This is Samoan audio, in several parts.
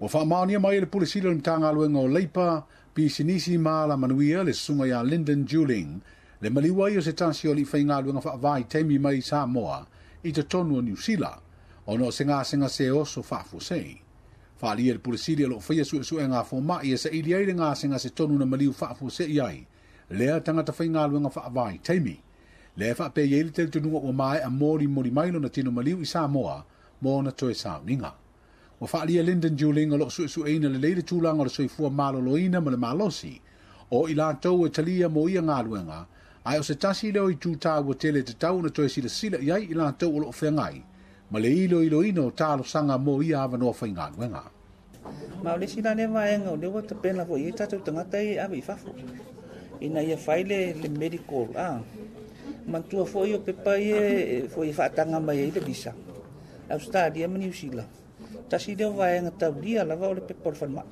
Ua faamaonia mai e le Pule Sili o le Matagaluega o Leipa, Pisinisi ma Alamanuia le susuga ia Lyndon Juling, le maliu ai o se tasi o alii faigaluega faavaitaimi mai Samoa i totonu o Niu Sila, ona o se gasegase oso faafuasei. Faaalia e le Pule Sili o loo faia suesuega a fomai e saili ai le gasegase tonu na maliu faafuasei ai lea tagata faigaluega faavaitaimi. Lea e faapea i ai le talitonuga ua maea molimoli mai lona tino maliu i Samoa mo ona toe sauniga. Ua faaalia Lyndon Juling o loo suesueina lelei le tulaga o le soifua maloloina ma le malosi o i latou e talia mo ia galuega, ae o se tasi lea o itu taua tele e tatau ona toe silasila i ai i latou o loo feagai ma le iloiloina o talosaga mo ia avanoa faigaluega. Ma o le isi la lea vaega o lea ua tapena foi i ai tatou tagata ia e ave i fafo ina ia fai le medical. Manatua foi o pepa ia foi e faataga mai ai le visa Australia ma Niu Sila. Tasi lea o vaega taulia lava o le pepa o le falemai.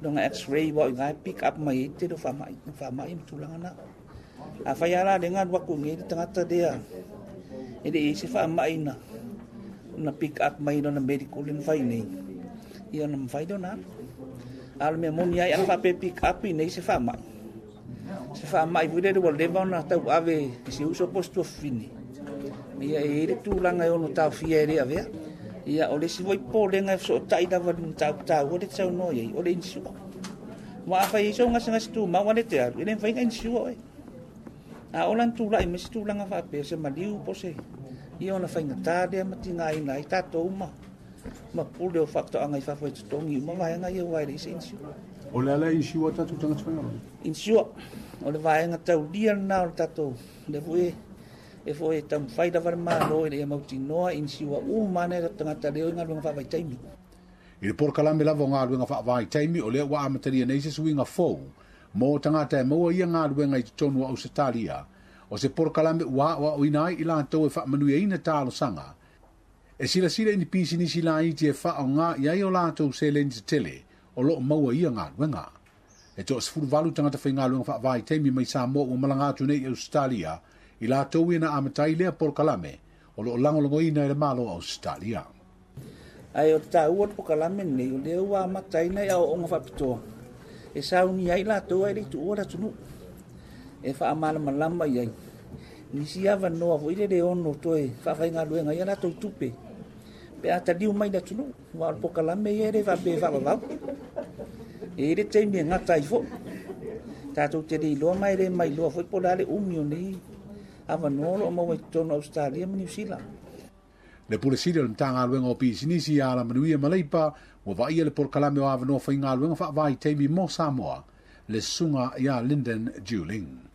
Lona x-ray wa o i pick up mai ai te leo faamai, faamai ma tulaga na. A fai ala le galu atu nei le tagata lea e le i se faamai na pick up mai lona medical le na fai nei. Ia na mawhai leo na. A le mea moni ai ana whaape pick up i nei se faamai. Se faamai foi lele ua leva ona tauave i se uso po o se tuafafine. Ia e i ai le tulaga e ono taofia e le avea. Ia o le isi foi popolega e fesootai lava i le mataupu taua lea e te saunoa i ai, o le insure. Aua afai e i ai sou gasegase tumau a le te alu, e le mafai ona insure oe. A ola na tulai mai se tulaga faapea, se maliu po o se, ia ona faigata lea ma tigaina ai tatou ma pule o faatoaga i fafo e totogi uma vaega ia aua e leai se insure. O le ala e insure tatou tagata faigaluega? Insure, o le vaega taulia lena o le tatou, lea foi e foi e taumafai lava le Malo ina ia mautinoa insure uma ane tagata lea o i galuega faavaitaimi. I le polokalame lava o galuega faavaitaimi, o lea ua amatalia nei se suiga fou mo tagata e maua ia galuega i totonu o Ausetalia, o se polokalame ua aoaoina ai i latou e faamanuiaina talosaga e silasila i ni pisinisi laiti e faaaoga i ai o latou seleni tetele o loo maua ia galuega. E 18 tagata faigaluega faavaitaimi mai Samoa ua malaga atu nei i Ausetalia i latou ia na amatai lea polokalame o loo lagolagoina e le Malo o Ausetalia. Ae o le taua o le polokalame lenei, o lea ua amataina i aoaoga faapitoa e saunia ai latou ae le i tuua le atunuu, e faamalamalama i ai nisi avanoa foi lele ono toe faafaigaluega ai a latou tupe pe a taliu mai le atunuu. Aua o le polokalame ia e le faapea e faavavau, e i ai le taimi e gata ai foi. Tatou te le iloa ma e le mailoa foi po o le a le umi o nei avanoa o lo o maua i totonu o Ausetalia ma Niu Sila. Le Pule Sili o le Matagaluega o Pisinisi ia Alamanuia ma Leipa ua vaaia le polokalame o avanoa faigaluega faavaitaimi mo Samoa, le susuga ia Lyndon Juling.